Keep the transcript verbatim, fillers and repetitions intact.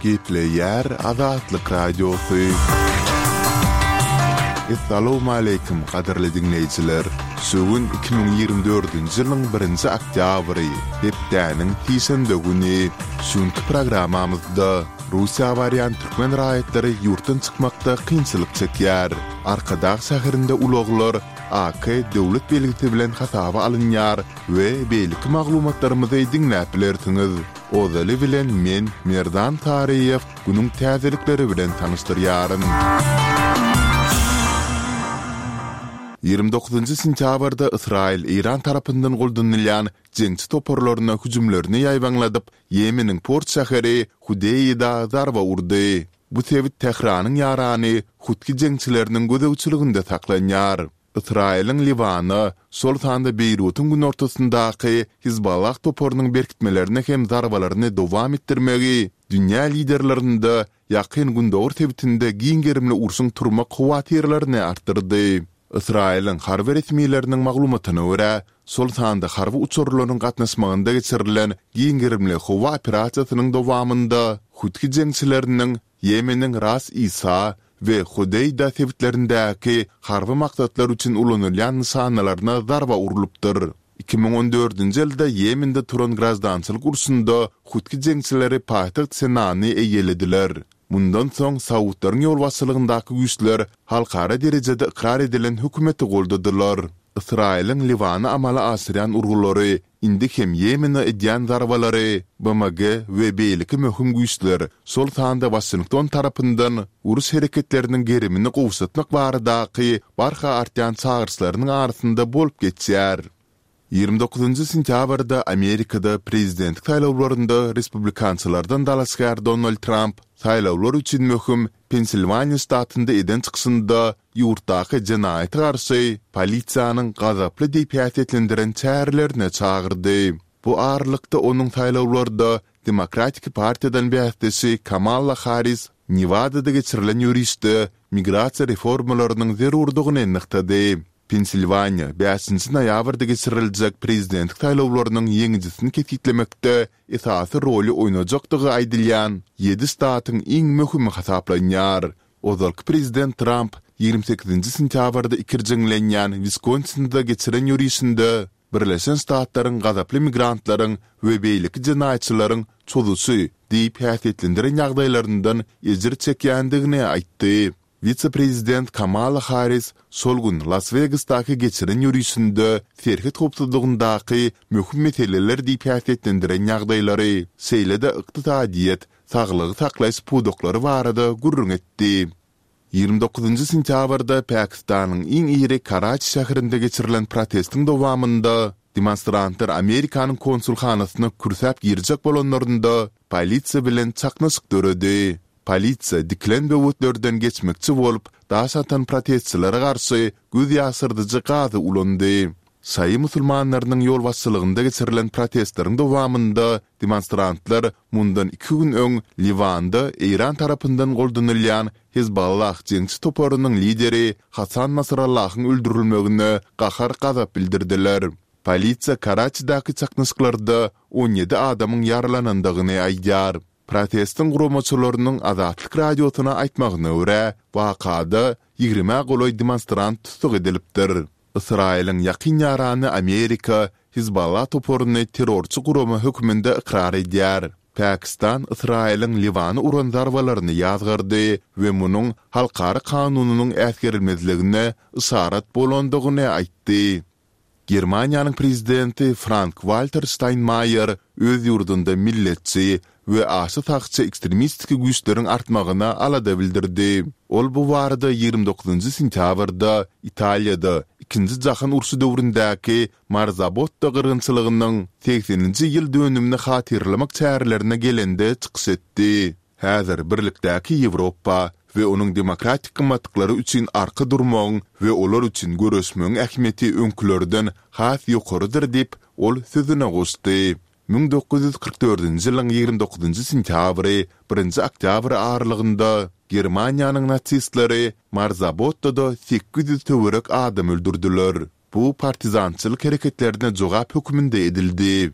Gepleýär Azatlyk Radiosy. Essalawmaleýkim, gadyrly diňleýjiler! Şu gün iki müň ýigrimi dördünji ýylyň birinji oktýabry, hepdäniň sişenbe güni. Şu günki programmamyzda Russiýa barýan türkmen raýatlary ýurtdan çykmakda kynçylyk çekýär. Arkadag şäherinde ulaglar AK döwlet belgisi bilen hasaba alynýar we beýleki maglumatlarymyzy diňläp bilersiňiz. Ozaly bilen men, Merdan Taryýew, günüň täzelikleri bilen tanyşdyrýaryn. Ýigrimi dokuzynjy sentýabrda Ysraýyl Eýran tarapyndan goldanylýan jeňçi toparlaryna hüjümlerini ýaýbaňladyp, Ýemeniň port şäheri Hudeýda zarba urdy. Bu sebit Tähranyň ýarany Hutgi jeňçileriniň gözegçiliginde saklanýar. Ysraýylyň Liwana, şol sanda Beýrutyň günortasyndaky Hizballah toparynyň berkitmelerine hem zarbalaryny dowam etdirmegi dünýä liderlerinde Ýakyn Gündogar sebitinde giň gerimli urşuň turmak howatyrlaryny artdyrdy. Ysraýylyň harby resmileriniň maglumatyna görä, şol sanda harby uçarlaryň gatnaşmagynda geçirilen giň gerimli howa operasiýasynyň dowamynda hutgi jeňçileriniň Ýemeniň Ras Isa we Hodeýda sebitlerindäki harby maksatlar üçin ulanylýan nyşanalaryna zarba urlupdyr. Iki müň on dördünji ýylda Ýemende turan graždançylyk urşunda hutgi jeňçileri paýtagt Senany eýelediler. Mundan soň saudlaryň ýolbaşçylygyndaky güýçler halkara derejede ykrar edilen hökümeti goldadylar. Ysraýylyň Liwana amala aşyrýan urgulary Indi hem Ýemene edýän zarbalary B M G we beýleki möhüm güýçler, şol sanda Waşington tarapyndan uruş hereketleriniň gerimini gowşatmak baradaky barha artýan çagyryşlarynyň arasynda bolup geçýär. Ýigrimi dokuzynjy sentýabrda Amerikada prezidentlik saýlawlarynda respublikançylardan dalaşgär Donald Tramp saýlawlar üçin möhüm Pensilwaniýa ştatynda eden çykyşynda ýurtdaky jenaýata garşy polisiýanyň gazaply diýip häsiýetlendiren çärelerine çagyrdy. Bu aralykda onuň saýlawlarda Demokratik partiýadan bäsdeşi Kamala Harris Newadada geçirilen ýörişde migrasiýa reformalarynyň zerurdygyny nygtady. Pensilwaniýa bäşinji noýabrda geçiriljek prezidentlik saýlawlarynyň ýeňijisini kesgitlemekde esasy roly oýnajakdygy aýdylýan ýedi ştatyň iň möhümi hasaplanýar. Ozalky prezident Tramp ýigrimi sekizinji sentýabrda ikirjiňlenýän Wiskonsinde geçiren ýörişinde Birleşen Ştatlaryň gazaply migrantlaryň we beýleki jenaýatçylaryň çozuşy diýip häsiýetlendiren ýagdaýlaryndan ejir çekýändigini aýtdy. Wise-prezident Kamala Harris şol gün Las-Wegasdaky geçiren ýörişinde serhet howpsuzlygyndaky möhüm meseleler diýip häsiýetlendiren ýagdaýlary, şeýle-de ykdysadyýet, saglygy saklaýyş pudaklary barada gürrüň etdi. Ýigrimi dokuzynjy sentýabrda Pakistanyň iň iri Karaçi şäherinde geçirilen protestiň dowamynda demonstrantlar Amerikanyň konsulhanasyna kürsäp girjek bolanlarynda polisiýa bilen çaknyşyk döredi. Polisiýa dikilen böwetlerden geçmekçi bolup, daş atan protestçilere garşy göz ýaşyrdyjy gazy ulandy. Şaýy musulmanlarynyň ýolbaşçylygynda geçirilen protestleriň dowamynda demonstrantlar mundan iki gün öň Liwanda Eýran tarapyndan goldanylýan Hezbollah jeňçi toparynyň lideri Hasan Nasrallahyň öldürilmegine gahar-gazap bildirdiler. Polisiýa Karaçidäki çaknyşyklarda on ýedi adamyň ýaralanandygyny aýdýar. Protestiň guramaçylarynyň Azatlyk Radiosyna aýtmagyna görä, wakada ýigrimä golaý demonstrant tussag edilipdir. Ysraýylyň ýakyn ýarany Amerika Hizballah toparyny terrorçy gurama hökmünde ykrar edýär. Pakistan Ysraýylyň Liwana uran zarbalaryny ýazgardy we munuň halkara kanunynyň äsgerilmezligine yşarat bolandygyny aýtdy. Germaniýanyň prezidenti Frank-Walter Ştaýnmaýer öz ýurdunda milletçi we aşa sagçy ekstremistik güýçleriň artmagyna alada bildirdi. Ol bu barada ýigrimi dokuzynjy sentýabrda Italiýada Ikinji jahan urşy döwründäki Marzabotto gyrgynçylygynyň segseninji ýyl dönümini hatyralamak çärelerine gelende çykyş etdi. Häzir birlikdäki Ýewropa we onuň demokratik gymmatlyklary üçin arka durmagyň we olar üçin göreşmegiň ähmiýeti öňkülerden has ýokarydyr diýip, ol sözüne goşdy. Müň dokuz ýüz kyrk dördünji ýylyň ýigrimi dokuzynjy sentýabry, birinji oktýabry aralygynda Germaniýanyň nasistleri Marzabottoda sekiz ýüz töwerek adam öldürdiler. Bu partizançylyk hereketlerine jogap hökmünde edildi.